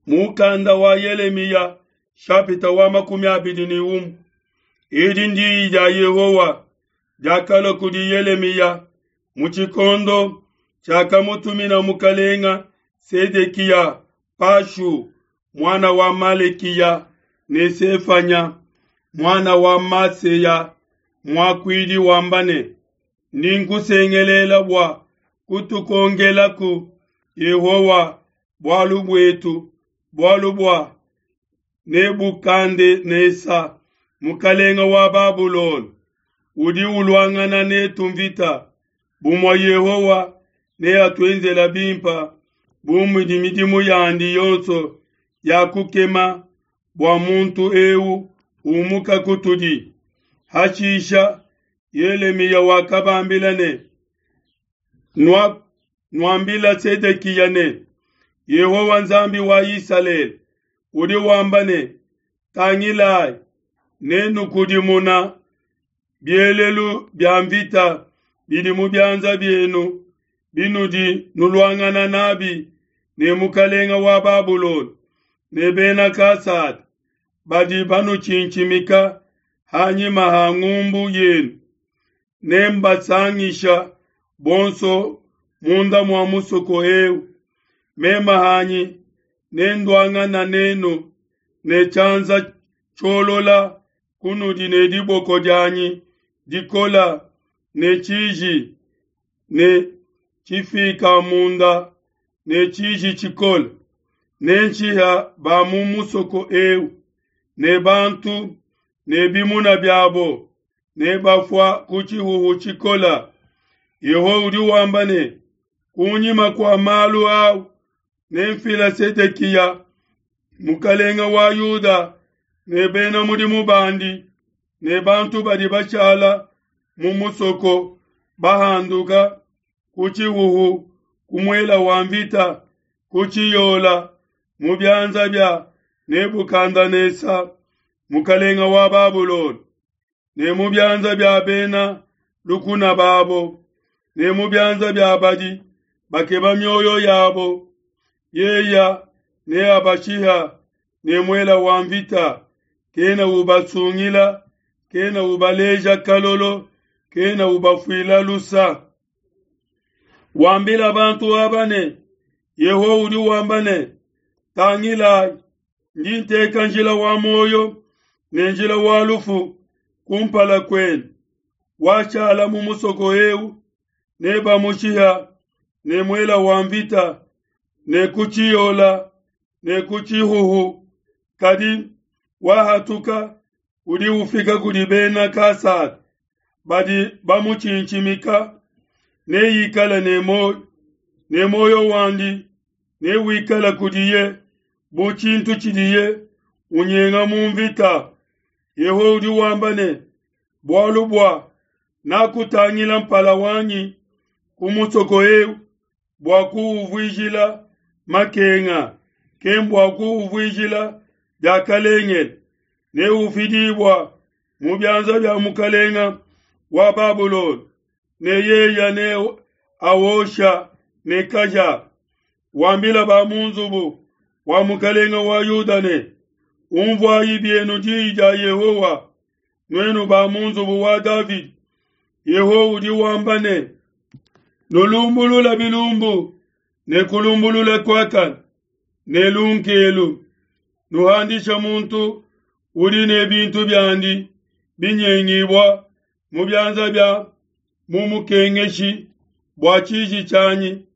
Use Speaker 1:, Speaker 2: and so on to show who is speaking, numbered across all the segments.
Speaker 1: Mukanda wa Yelemiya shapita wa 21. Edi ndiyi dia Yehowa diakalua kudi Yelemiya mu tshikondo tshiakamutumina mukalenga Sedekiya Pashu muana wa Malekiya ne Sefanya muana wa Maseya muakuidi wamba ne, Ndi nkusengelela bua kutukongelaku Yehowa bualu buetu, bualu bua Nebukadenesa mukalenge wa Babulona udi uluangana netu mvita. Bumue Yehowa neatuenzela bimpe bu mudi midimu yandi yonso ya kukema bua muntu eu umuka kutudi. Hashisha Yelemiya wakabambila ne, Nuambila Sedekiya ne, Yehowa Nzambi wa Isalele udi wamba ne, Tangilai, nenukudimuna bielelu bia mvita bidi mu bianza bienu binudi nuluangana nabi ne mukalenge wa Babulona ne bena Kasada badi banutshintshimika ha nyima ha ngumbu yenu, nembasangisha bonso munda mua musoko eu. Meme hanyi nenduangana nenu ne tshianza tshiolola kunudi ne diboko dianyi dikola ne tshiji ne tshifikamunda ne tshiji tshikole. Nenshiha ba mu musoko eu ne bantu ne bimuna biabo, ne bafua ku tshihuhu tshikole. Yehowa udi wamba ne, Kunyima kua malu au nemfila Sedekiya mukalenge wa Yuda ne bena mudimu bandi ne bantu badi bashala mu musoko bahanduka ku tshihuhu, ku muela wa mvita, ku tshiyola, mu bianza bia Nebukadenesa mukalenge wa Babulona, ne mu bianza bia bena lukuna babo, ne mu bianza bia badi bakeba mioyo yabo. Yeya neabashiha ne muela wa mvita, kena ubasungila, kena ubaleja kalolo, kena ubafuila lusa. Wambila bantu aba ne, Yehowa udi wamba ne, Tangilai, ndi nteka njila wa muoyo ne njila wa lufu kumpala kuenu. Washala mu musoko eu nebamushiha ne muela wa mvita ne ku tshiyola ne ku tshihuhu, kadi wahatuka udi ufika kudi bena Kasada badi bamutshintshimika, neikale ne muoyo, ne muoyo wandi newikale kudiye bu tshintu tshidiye unyenga mu mvita. Yehowa udi wamba ne, Bualu bua nakutangila mpala wanyi ku musoko eu bua kuuvuijila makenga, kembua kuuvuijila diakalengele, neufidibua mu bianza bia mukalenga wa Babulona, ne yeya ne awosha ne kahia. Wambila ba mu nzubu wa mukalenga wa Yuda ne, Unvuayi bienu diyi dia Yehowa, nuenu ba mu nzubu wa Davidi. Yehowa udi wamba ne, Nulumbulula bilumbu ne kulumbulula kuakane ne lunkelu, nuhandisha muntu udi ne bintu biandi binyengibua mu bianza bia mumukengeshi, bua tshiji tshianyi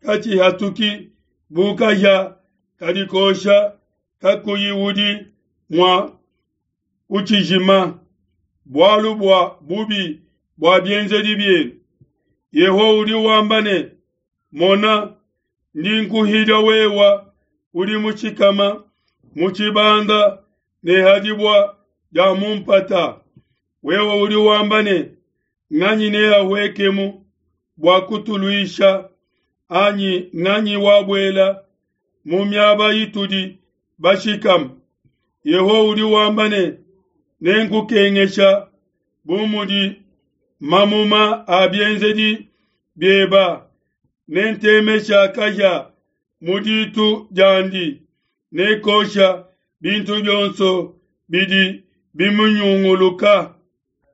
Speaker 1: katshihatuki bu kahia kadi kosha kakuyi udi mua kutshijima, bualu bua bubi bua bienzedi bienu. Yehowa udi wamba ne, Mona, ndi nkuhidia wewa udi mushikama mu tshibanda ne ha dibua dia mu mpata. Wewe udi wamba ne, Nganyi neahuekemu bua kutuluisha, anyi nganyi wabuela mu miaba itudi bashikame? Yehowa udi wamba ne, Nenkukengesha bu mudi mamuma a bienzedi bieba, nentemesha kahia mu ditu diandi. Ne kosha bintu bionso bidi bimunyunguluka.